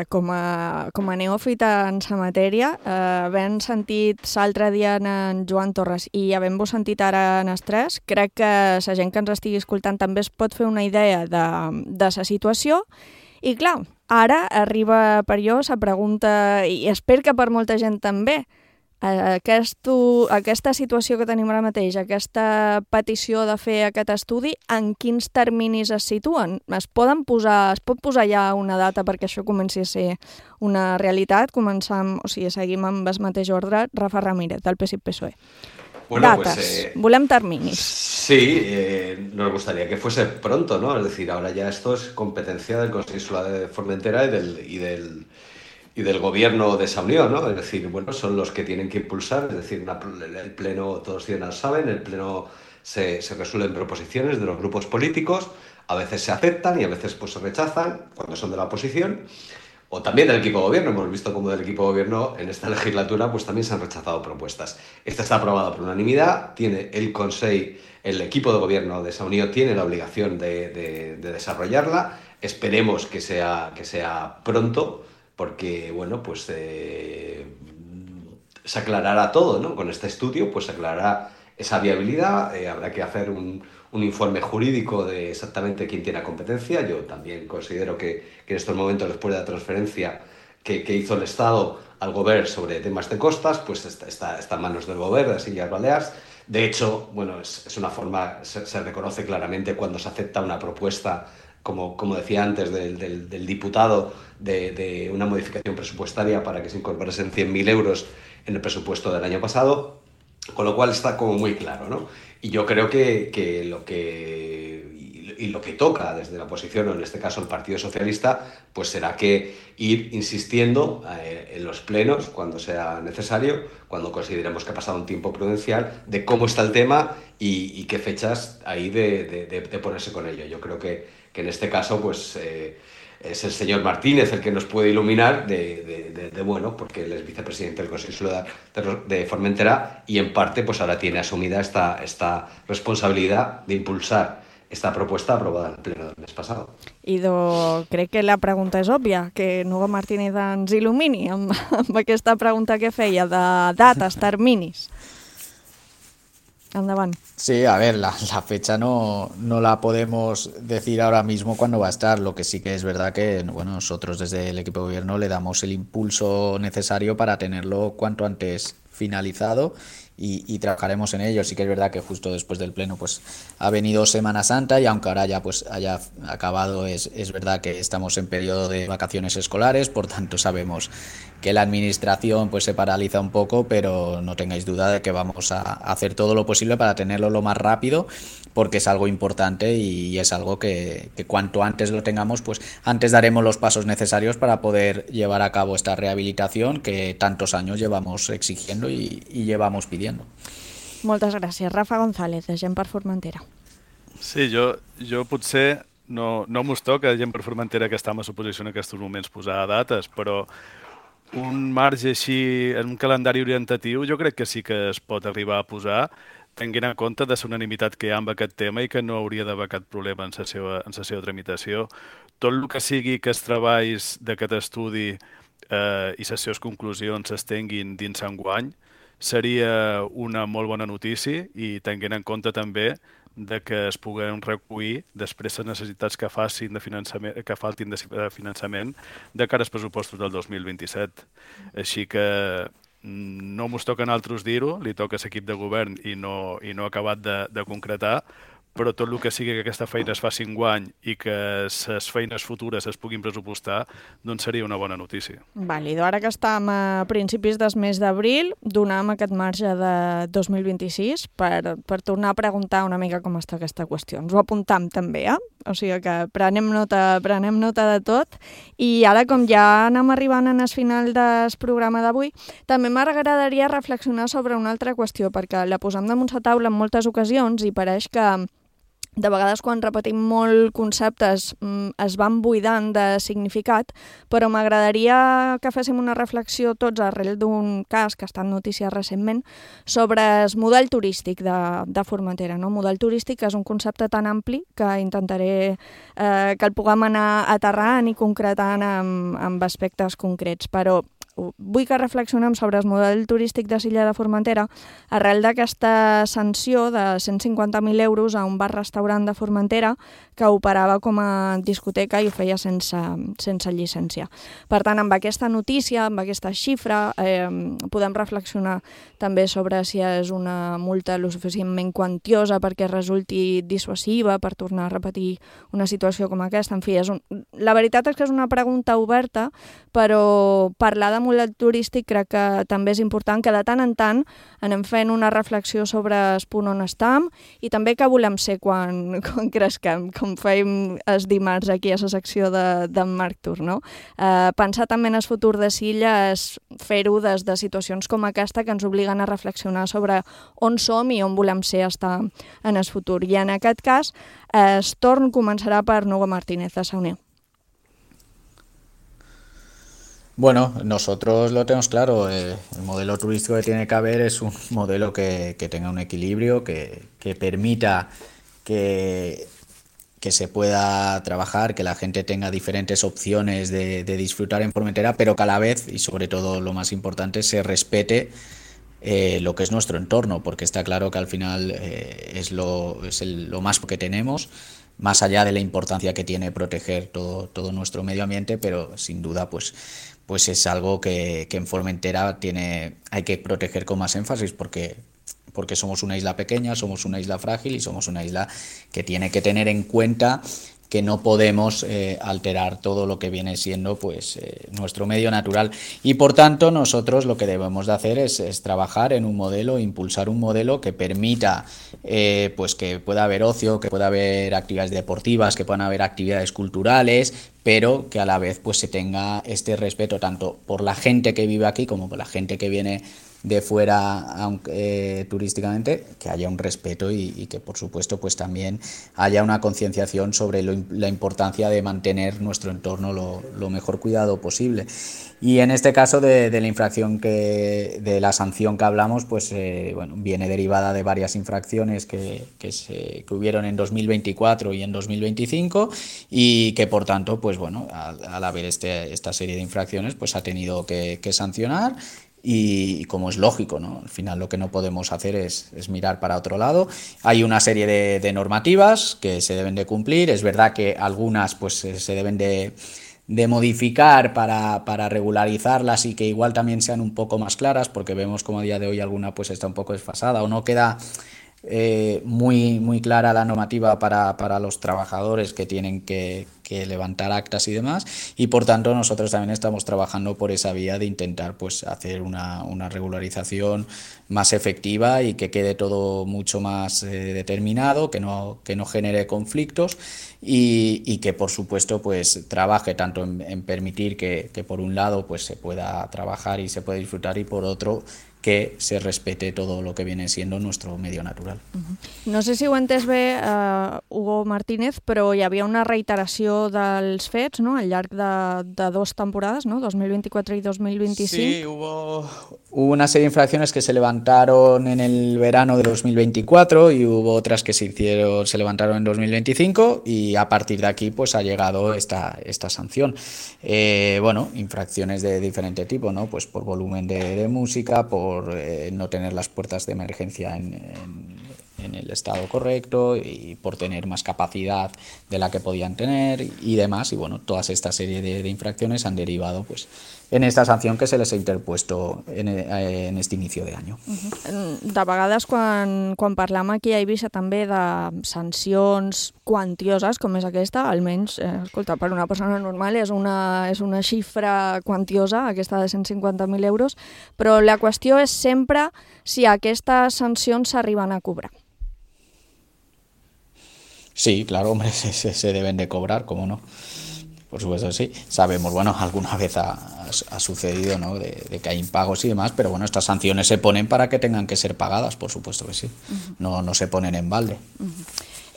com a neòfita en la matèria, havent sentit l'altre dia en Joan Torres i havent-vos sentit ara en Nestràs, crec que la gent que ens estigui escoltant també es pot fer una idea de la situació. I clar, ara arriba per jo la pregunta, i espero que per molta gent també, aquesta situació que tenim ara mateix, aquesta petició de fer aquest estudi, en quins terminis es situen? Es pot posar ja una data perquè això comenci a ser una realitat? Seguim amb el mateix ordre. Rafa Ramírez, del PSC-PSOE. Dates, volem terminis. Sí, nos gustaría que fuese pronto, ¿no? Es decir, ahora ya esto es competencia del Consejo Insular de Formentera y del gobierno de esa unión, ¿no? Es decir, bueno, son los que tienen que impulsar, es decir, el pleno, todos ciudadanos saben, el pleno se resuelven proposiciones de los grupos políticos, a veces se aceptan y a veces pues se rechazan cuando son de la oposición, o también del equipo de gobierno. Hemos visto como del equipo de gobierno en esta legislatura pues también se han rechazado propuestas. Esta está aprobada por unanimidad, tiene el Consejo, el equipo de gobierno de esa unión tiene la obligación de desarrollarla. Esperemos que sea pronto, porque bueno, pues se aclarará todo, ¿no? Con este estudio pues se aclarará esa viabilidad, habrá que hacer un informe jurídico de exactamente quién tiene la competencia. Yo también considero que en estos momentos, después de la transferencia que hizo el Estado al Govern sobre temas de costas, pues está en manos del Govern de las Illes Balears. De hecho, bueno, es una forma, se reconoce claramente cuando se acepta una propuesta, como decía antes, del diputado, de una modificación presupuestaria para que se incorporasen 100.000 euros en el presupuesto del año pasado, con lo cual está como muy claro, ¿no? Y yo creo que lo que toca desde la oposición, o en este caso el Partido Socialista, pues será que ir insistiendo en los plenos cuando sea necesario, cuando consideremos que ha pasado un tiempo prudencial, de cómo está el tema y qué fechas hay de ponerse con ello. Yo creo que en este caso pues es el señor Martínez el que nos puede iluminar bueno, porque él es vicepresidente del Consejo Insular de Formentera y en parte pues ahora tiene asumida esta responsabilidad de impulsar esta propuesta aprobada en el pleno del mes passat. Crec que la pregunta és òbvia, que Nugo Martínez ens il·lumini amb aquesta pregunta que feia de dates, terminis. Endavant. Sí, a ver, la fecha no la podemos decir ahora mismo cuándo va a estar. Lo que sí que es verdad que bueno, nosotros desde el equipo de gobierno le damos el impulso necesario para tenerlo cuanto antes finalizado y trabajaremos en ello. Sí que es verdad que justo después del pleno pues ha venido Semana Santa y aunque ahora ya pues haya acabado, es verdad que estamos en periodo de vacaciones escolares, por tanto sabemos que la administración pues se paraliza un poco, pero no tengáis duda de que vamos a hacer todo lo posible para tenerlo lo más rápido, porque es algo importante y es algo que cuanto antes lo tengamos, pues antes daremos los pasos necesarios para poder llevar a cabo esta rehabilitación que tantos años llevamos exigiendo y llevamos pidiendo. Moltes gràcies. Rafa González, de Gent per Formentera. Sí, jo potser no mos toca Gent per Formentera, que està en l'oposició en aquests moments, posar dates, però un marge així, en un calendari orientatiu, jo crec que sí que es pot arribar a posar, tenint en compte de la unanimitat que hi ha amb aquest tema i que no hauria d'haver cap problema en la seva tramitació. Tot el que sigui que els treballs d'aquest estudi i les seves conclusions s'estenguin dins enguany seria una molt bona notícia i tenint en compte també de que es puguen recollir després les necessitats que faltin de finançament de cara als pressupostos del 2027. Així que no mos toca a nosaltres dir-ho, li toca a l'equip de govern i no ha acabat de concretar, però tot el que sigui que aquesta feina es faci enguany i que les feines futures es puguin pressupostar, doncs seria una bona notícia. Vàlid. Ara que estem a principis del mes d'abril, donem aquest marge de 2026 per tornar a preguntar una mica com està aquesta qüestió. Ens ho apuntam també, O sigui que prenem nota de tot. I ara, com ja anem arribant al final del programa d'avui, també m'agradaria reflexionar sobre una altra qüestió, perquè la posem damunt la taula en moltes ocasions i pareix que de vegades quan repetim molt conceptes es van buidant de significat, però m'agradaria que féssim una reflexió tots arrel d'un cas que ha estat notícia recentment sobre el model turístic de Formentera. El model turístic és un concepte tan ampli que intentaré que el puguem anar aterrant i concretant amb aspectes concrets, però vull que reflexionem sobre el model turístic de l'illa de Formentera arrel d'aquesta sanció de 150.000 euros a un bar-restaurant de Formentera que operava com a discoteca i ho feia sense llicència. Per tant, amb aquesta notícia, amb aquesta xifra, podem reflexionar també sobre si és una multa lo suficientment quantiosa perquè resulti dissuasiva per tornar a repetir una situació com aquesta. En fi, la veritat és que és una pregunta oberta, però parlar de model turístic crec que també és important que de tant en tant anem fent una reflexió sobre el punt on estem i també què volem ser quan cresquem, com fèiem el dimarts aquí a la secció d'en Marc Tur, no? Pensar també en el futur de Silla és fer-ho des de situacions com aquesta que ens obliguen a reflexionar sobre on som i on volem ser estar en el futur. I en aquest cas, el torn començarà per Nugo Martínez, a Saunier. Bueno, nosotros lo tenemos claro, el modelo turístico que tiene que haber es un modelo que tenga un equilibrio, que permita que se pueda trabajar, que la gente tenga diferentes opciones de disfrutar en Formentera, pero que a la vez, y sobre todo lo más importante, se respete lo que es nuestro entorno, porque está claro que al final es lo más que tenemos, más allá de la importancia que tiene proteger todo nuestro medio ambiente, pero sin duda pues es algo que en Formentera hay que proteger con más énfasis porque somos una isla pequeña, somos una isla frágil y somos una isla que tiene que tener en cuenta que no podemos alterar todo lo que viene siendo pues nuestro medio natural, y por tanto nosotros lo que debemos de hacer es trabajar en un modelo, impulsar un modelo que permita pues que pueda haber ocio, que pueda haber actividades deportivas, que puedan haber actividades culturales, pero que a la vez pues se tenga este respeto tanto por la gente que vive aquí como por la gente que viene de fuera turísticamente, que haya un respeto y que por supuesto pues también haya una concienciación sobre la importancia de mantener nuestro entorno lo mejor cuidado posible. Y en este caso de la infracción de la sanción que hablamos, pues bueno, viene derivada de varias infracciones que hubieron en 2024 y en 2025 y que por tanto pues bueno, al haber esta serie de infracciones pues ha tenido que sancionar. Y como es lógico, ¿no? Al final lo que no podemos hacer es mirar para otro lado. Hay una serie de normativas que se deben de cumplir. Es verdad que algunas pues se deben de modificar para regularizarlas y que igual también sean un poco más claras, porque vemos como a día de hoy alguna pues está un poco desfasada o no queda muy clara la normativa para los trabajadores que tienen que levantar actas y demás, y por tanto nosotros también estamos trabajando por esa vía de intentar pues hacer una regularización más efectiva y que quede todo mucho más determinado, que no genere conflictos y que por supuesto pues trabaje tanto en permitir que por un lado pues se pueda trabajar y se pueda disfrutar, y por otro que se respete todo lo que viene siendo nuestro medio natural. No sé si ho he entès bé, Hugo Martínez, però hi havia una reiteració dels fets, no?, al llarg de dos temporades, ¿no?, 2024 y 2025. Sí, hubo una serie de infracciones que se levantaron en el verano de 2024 y hubo otras que se levantaron en 2025, y a partir de aquí pues ha llegado esta sanción. Bueno, infracciones de diferente tipo, ¿no?, pues por volumen de música, por no tener las puertas de emergencia en el estado correcto y por tener más capacidad de la que podían tener y demás, y bueno, todas esta serie de infracciones han derivado pues en esta sanción que se les ha interpuesto en este inicio de año. De vegades quan parlam aquí a Eivissa també de sancions quantioses com és aquesta, almenys, escolta, per una persona normal és una xifra quantiosa, aquesta de 150.000 euros, però la qüestió és sempre si aquestes sancions s'arriben a cobrar. Sí, claro, hombre, se deben de cobrar, ¿cómo no? Por supuesto, sí. Sabemos, bueno, alguna vez ha sucedido, ¿no?, de que hay impagos y demás, pero bueno, estas sanciones se ponen para que tengan que ser pagadas, por supuesto que sí. No se ponen en balde.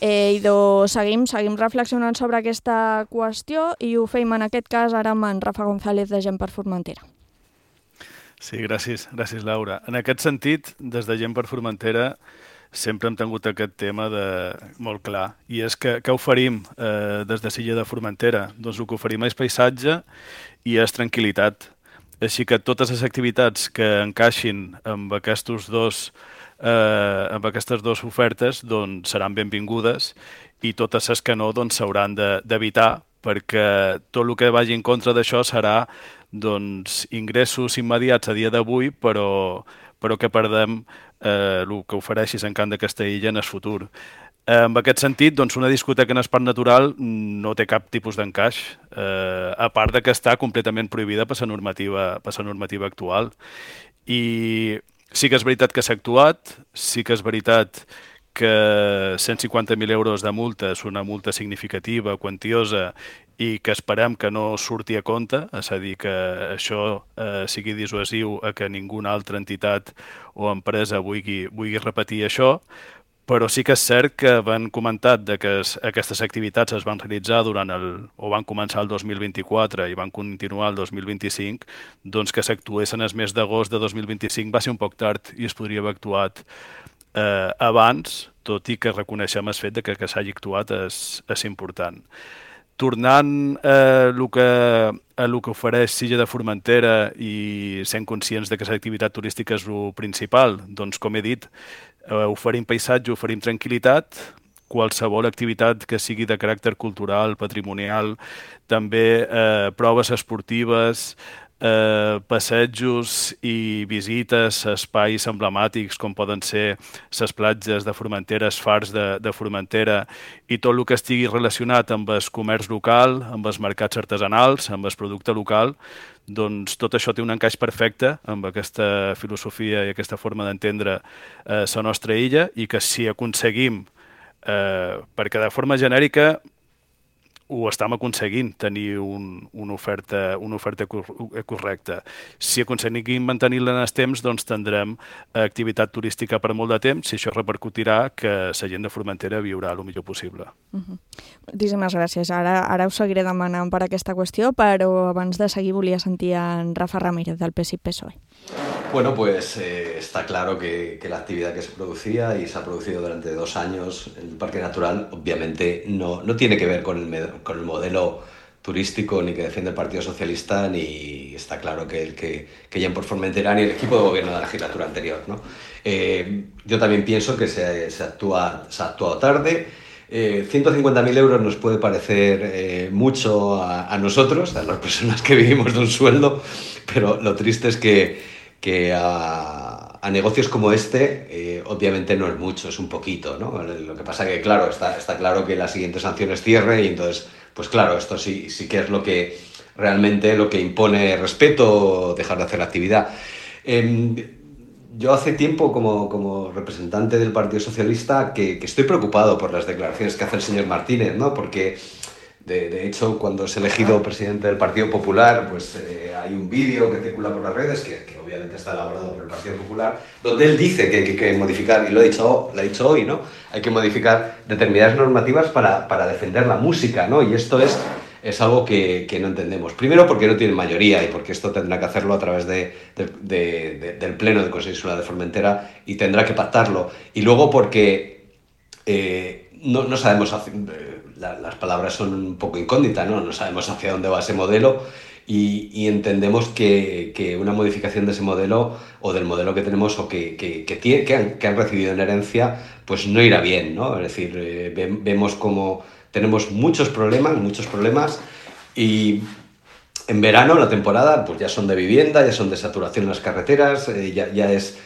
I seguim reflexionant sobre aquesta qüestió i ho fem en aquest cas ara amb en Rafa González de Gent per Formentera. Sí, gràcies, Laura. En aquest sentit, des de Gent per Formentera sempre hem tingut aquest tema molt clar, i és que què oferim des de Silla de Formentera? Doncs el que oferim és paisatge i és tranquil·litat. Així que totes les activitats que encaixin amb aquestes dues ofertes doncs seran benvingudes, i totes les que no doncs s'hauran d'evitar, perquè tot el que vagi en contra d'això serà doncs ingressos immediats a dia d'avui, però que perdem el que ofereixi Sant Camp de Castellilla en el futur. En aquest sentit, doncs, una discoteca en espai natural no té cap tipus d'encaix, a part de que està completament prohibida per la normativa actual. I sí que és veritat que s'ha actuat, sí que és veritat que 150.000 euros de multa és una multa significativa, quantiosa, i que esperem que no surti a compte, és a dir, que això sigui dissuasiu a que ninguna altra entitat o empresa vulgui repetir això, però sí que és cert que van comentat que aquestes activitats es van realitzar van començar el 2024 i van continuar el 2025, doncs que s'actuessin el mes d'agost de 2025 va ser un poc tard i es podria haver actuat abans, tot i que reconeixem el fet que s'hagi actuat és important. Tornant a el que ofereix Silla de Formentera i sent conscients que l'activitat turística és el principal, doncs com he dit, oferim paisatge, oferim tranquil·litat, qualsevol activitat que sigui de caràcter cultural, patrimonial, també proves esportives, passejos i visites a espais emblemàtics com poden ser les platges de Formentera, els fars de Formentera i tot el que estigui relacionat amb el comerç local, amb els mercats artesanals, amb el producte local, doncs tot això té un encaix perfecte amb aquesta filosofia i aquesta forma d'entendre la nostra illa i que si aconseguim, perquè de forma genèrica ho estem aconseguint, tenir una oferta correcta. Si aconseguim mantenir-la en el temps, doncs tindrem activitat turística per molt de temps i això repercutirà que la gent de Formentera viurà el millor possible. Moltíssimes gràcies. Ara us seguiré demanant per aquesta qüestió, però abans de seguir volia sentir en Rafa Ramírez del PSI-PSOE. Bueno, pues está claro que la actividad que se producía y se ha producido durante 2 años en el Parque Natural obviamente no tiene que ver con el modelo turístico ni que defiende el Partido Socialista, ni está claro que Gent por Formentera ni el equipo de gobierno de la legislatura anterior, ¿no? Yo también pienso que se ha actuado tarde. 150.000 euros nos puede parecer mucho a nosotros, a las personas que vivimos de un sueldo, pero lo triste es que a negocios como este obviamente no es mucho, es un poquito, ¿no? Lo que pasa que, claro, está claro que la siguiente sanción es cierre y entonces, pues claro, esto sí que es lo que realmente lo que impone respeto, dejar de hacer la actividad. Yo hace tiempo, como representante del Partido Socialista, que estoy preocupado por las declaraciones que hace el señor Martínez, ¿no? Porque de hecho, cuando es elegido presidente del Partido Popular, pues hay un vídeo que circula por las redes, que obviamente está elaborado por el Partido Popular, donde él dice que hay que modificar, y lo ha dicho hoy, ¿no? Hay que modificar determinadas normativas para defender la música, ¿no? Y esto es algo que no entendemos. Primero, porque no tiene mayoría y porque esto tendrá que hacerlo a través del Pleno del Consejo Insular de Formentera y tendrá que pactarlo. Y luego porque no sabemos... Las palabras son un poco incógnitas, ¿no? No sabemos hacia dónde va ese modelo y entendemos que una modificación de ese modelo o del modelo que tenemos o que han recibido en herencia, pues no irá bien, ¿no? Es decir, vemos como tenemos muchos problemas y en verano, la temporada, pues ya son de vivienda, ya son de saturación en las carreteras, ya es...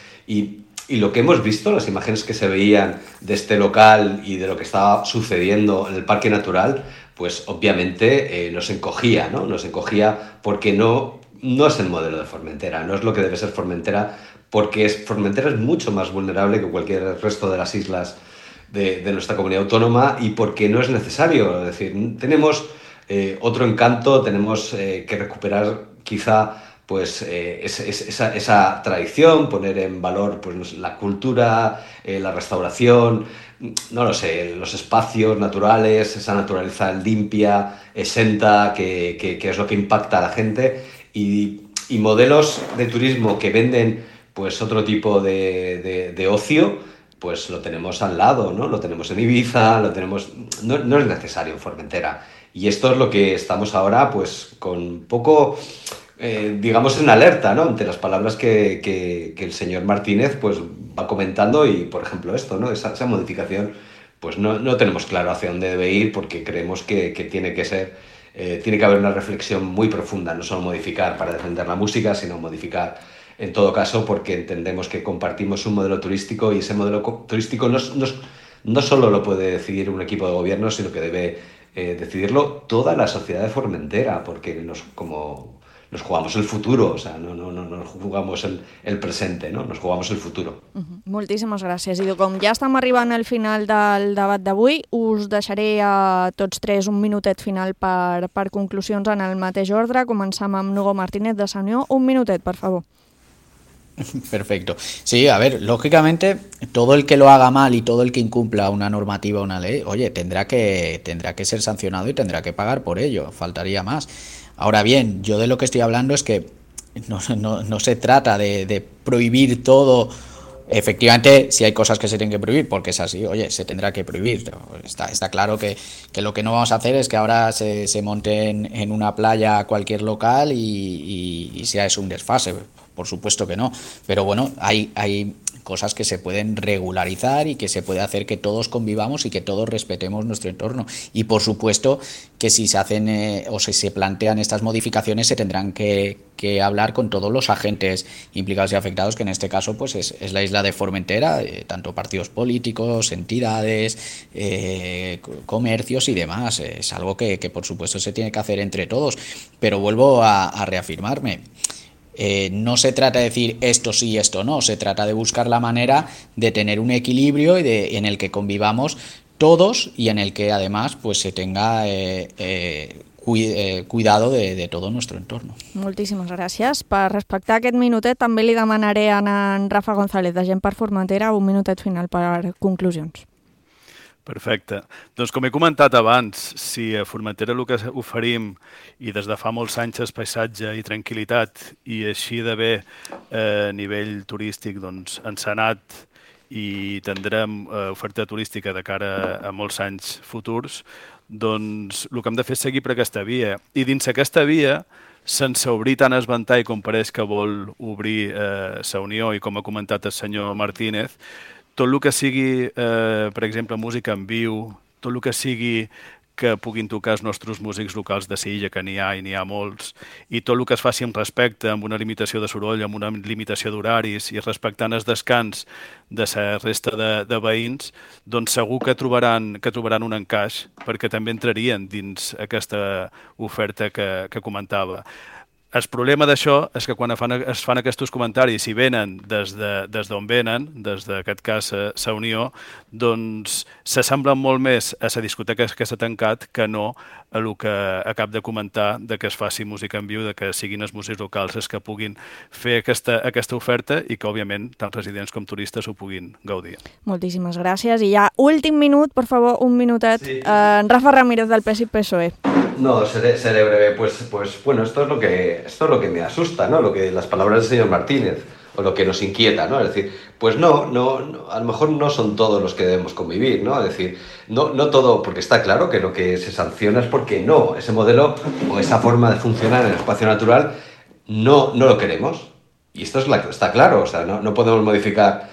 Y lo que hemos visto, las imágenes que se veían de este local y de lo que estaba sucediendo en el Parque Natural, pues obviamente nos encogía, ¿no? Nos encogía porque no es el modelo de Formentera, no es lo que debe ser Formentera, porque Formentera es mucho más vulnerable que cualquier resto de las islas de nuestra comunidad autónoma y porque no es necesario. Es decir, tenemos otro encanto, tenemos que recuperar quizá pues esa tradición, poner en valor pues la cultura, la restauración, no lo sé, los espacios naturales, esa naturaleza limpia, exenta, que es lo que impacta a la gente y modelos de turismo que venden pues otro tipo de ocio, pues lo tenemos al lado, ¿no? Lo tenemos en Ibiza, no es necesario en Formentera. Y esto es lo que estamos ahora pues con un poco... digamos en alerta, ¿no? Ante las palabras que el señor Martínez pues va comentando y, por ejemplo, esto, ¿no? Esa modificación, pues no tenemos claro hacia dónde debe ir porque creemos que tiene que haber una reflexión muy profunda, no solo modificar para defender la música, sino modificar en todo caso porque entendemos que compartimos un modelo turístico y ese modelo turístico nos no solo lo puede decidir un equipo de gobierno, sino que debe decidirlo toda la sociedad de Formentera, porque nos jugamos el futuro, o sea, no nos jugamos el presente, no? Nos jugamos el futuro. Moltíssimes gràcies. I com ja estem arribant al final del debat d'avui, us deixaré a tots tres un minutet final per conclusions en el mateix ordre. Començam amb Hugo Martínez de Sanió. Un minutet, por favor. Perfecto. Sí, a ver, lógicamente, todo el que lo haga mal y todo el que incumpla una normativa o una ley, oye, tendrá que ser sancionado y tendrá que pagar por ello, faltaría más. Ahora bien, yo de lo que estoy hablando es que no se trata de prohibir todo. Efectivamente, si hay cosas que se tienen que prohibir, porque es así, oye, se tendrá que prohibir. Está claro que lo que no vamos a hacer es que ahora se monte en una playa cualquier local y sea eso un desfase. Por supuesto que no. Pero bueno, hay cosas que se pueden regularizar y que se puede hacer que todos convivamos y que todos respetemos nuestro entorno. Y por supuesto que si se hacen o si se plantean estas modificaciones se tendrán que hablar con todos los agentes implicados y afectados, que en este caso pues es la isla de Formentera, tanto partidos políticos, entidades, comercios y demás. Es algo que por supuesto se tiene que hacer entre todos. Pero vuelvo a reafirmarme. No se trata de decir esto sí, esto no, se trata de buscar la manera de tener un equilibrio en el que convivamos todos y en el que además pues se tenga cuidado de todo nuestro entorno. Moltíssimes gràcies. Per respectar aquest minutet també li demanaré a en Rafa González de Gent per Formentera un minutet final per conclusions. Perfecte. Doncs com he comentat abans, si a Formentera el que oferim i des de fa molts anys és paisatge i tranquil·litat i així de bé a nivell turístic doncs encenat i tindrem oferta turística de cara a molts anys futurs, doncs el que hem de fer és seguir per aquesta via. I dins aquesta via, sense obrir tant el ventall com pareix que vol obrir la Unió i com ha comentat el senyor Martínez, tot el que sigui, per exemple, música en viu, tot el que sigui que puguin tocar els nostres músics locals de Silla, que n'hi ha i n'hi ha molts, i tot el que es faci amb respecte, amb una limitació de soroll, amb una limitació d'horaris i respectant el descans de la resta de veïns, doncs segur que trobaran un encaix perquè també entrarien dins aquesta oferta que comentava. El problema d'això és que quan es fan aquests comentaris i venen des d'on venen, des d'aquest cas la Unió, doncs s'assemblen molt més a la discoteca que s'ha tancat que no a el que acab de comentar de que es faci música en viu, de que siguin els músics locals els que puguin fer aquesta oferta i que, òbviament, tant residents com turistes ho puguin gaudir. Moltíssimes gràcies. I ja, últim minut, por favor, un minutet. Sí. Rafa Ramírez del PES y PSOE. No, seré breve. Pues bueno, esto es lo que me asusta, ¿no? Las palabras del señor Martínez, o lo que nos inquieta, ¿no? Es decir, pues no, a lo mejor no son todos los que debemos convivir, ¿no? Es decir, no todo, porque está claro que lo que se sanciona es porque no, ese modelo o esa forma de funcionar en el espacio natural no lo queremos. Y esto está claro, o sea, no podemos modificar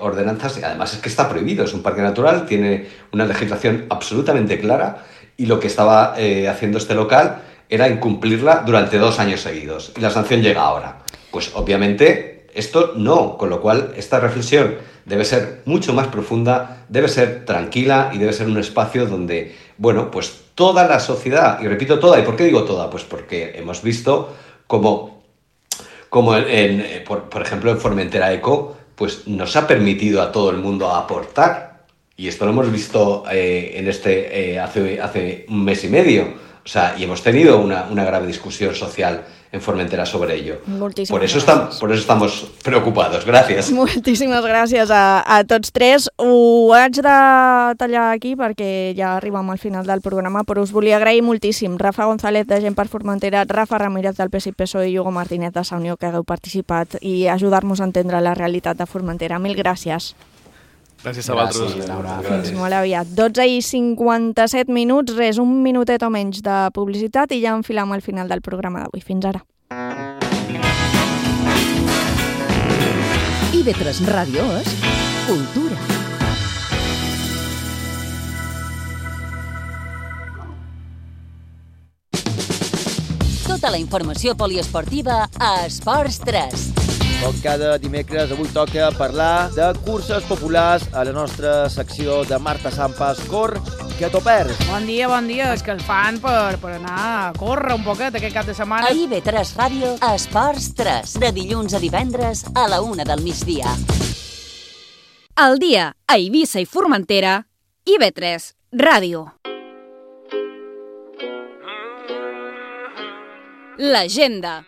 ordenanzas, y además es que está prohibido, es un parque natural, tiene una legislación absolutamente clara, y lo que estaba haciendo este local era incumplirla durante 2 años seguidos, y la sanción llega ahora. Pues obviamente esto no, con lo cual esta reflexión debe ser mucho más profunda, debe ser tranquila y debe ser un espacio donde, bueno, pues toda la sociedad, y repito toda, ¿y por qué digo toda? Pues porque hemos visto como por ejemplo en Formentera Eco, pues nos ha permitido a todo el mundo aportar, y esto lo hemos visto hace un mes y medio. O sea, y hemos tenido una grave discusión social en Formentera sobre ello. Por eso estamos preocupados. Gràcies. Moltíssimes gràcies a tots tres. Ho haig de tallar aquí perquè ja arribem al final del programa, però us volia agrair moltíssim. Rafa González de Gent per Formentera, Rafa Ramírez del PES i PSOE i Hugo Martínez de Unió, que hagueu participat i ajudar-nos a entendre la realitat de Formentera. Mil gràcies. Gràcies a vosaltres. Fins molt aviat. 12:57 minuts, res, un minutet o menys de publicitat i ja enfilam al final del programa d'avui. Fins ara. IB3 Ràdio és cultura. Tota la informació poliesportiva a Esports 3. Com cada dimecres, avui toca parlar de curses populars a la nostra secció de Marta Sampas. Cor, que t'ho perds. Bon dia. Escalfant per anar a córrer un poquet aquest cap de setmana. A IB3 Ràdio, Esports 3, de dilluns a divendres a la 1 del migdia. Al dia, a Eivissa i Formentera, IB3 Ràdio. L'agenda.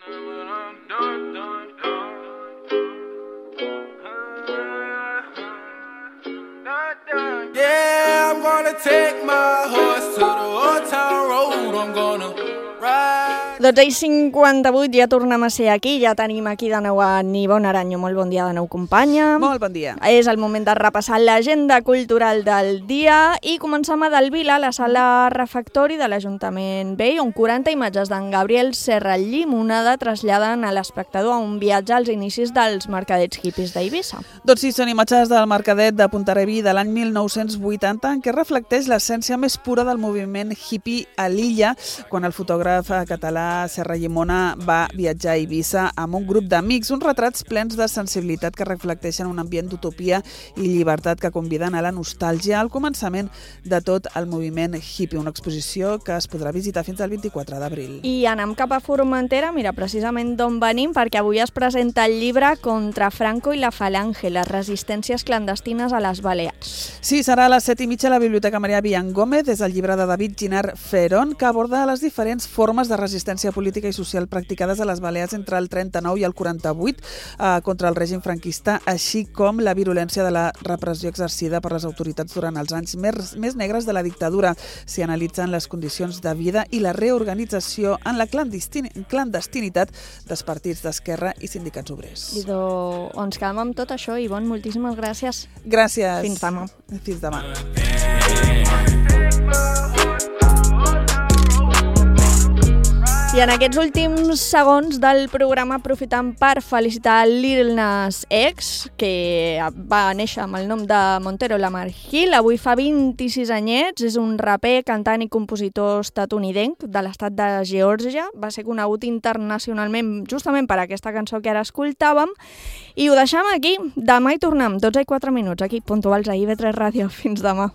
Yeah, I'm gonna take my horse to the old town road. I'm gonna ride. 12:58, ja tornem a ser aquí, ja tenim aquí de nou a Nivona Aranyo. Molt bon dia de nou, companya. Molt bon dia. És el moment de repassar l'agenda cultural del dia i comencem a Delvila, la sala refectori de l'Ajuntament Vell, on 40 imatges d'en Gabriel Serra Llimonada traslladen a l'espectador a un viatge als inicis dels mercadets hippies d'Eivissa. Doncs sí, són imatges del mercadet de Pontarebí de l'any 1980, en què reflecteix l'essència més pura del moviment hippie a l'illa, quan el fotògraf català Serra Llimona va viatjar a Eivissa amb un grup d'amics, uns retrats plens de sensibilitat que reflecteixen un ambient d'utopia i llibertat que conviden a la nostàlgia al començament de tot el moviment hippie, una exposició que es podrà visitar fins al 24 d'abril. I anem cap a Formentera, mira, precisament d'on venim, perquè avui es presenta el llibre Contra Franco i la Falange, les resistències clandestines a les Balears. Sí, serà a les 7:30 a la Biblioteca Maria Villan Gómez, és el llibre de David Ginard Ferón, que aborda les diferents formes de resistència política i social practicades a les Balears entre el 39 i el 48 contra el règim franquista, així com la virulència de la repressió exercida per les autoritats durant els anys més negres de la dictadura. S'hi analitzen les condicions de vida i la reorganització en la clandestinitat dels partits d'esquerra i sindicats obrers. I ens quedem amb tot això, Ivonne, moltíssimes gràcies. Gràcies. Fins demà. Fins demà. I en aquests últims segons del programa aprofitant per felicitar Lil Nas X, que va néixer amb el nom de Montero Lamar Hill. Avui fa 26 anyets, és un raper, cantant i compositor estatunidenc de l'estat de Geòrgia. Va ser conegut internacionalment justament per aquesta cançó que ara escoltàvem. I ho deixem aquí. Demà hi tornem, 12:04, aquí, puntuals a IB3 Ràdio. Fins demà.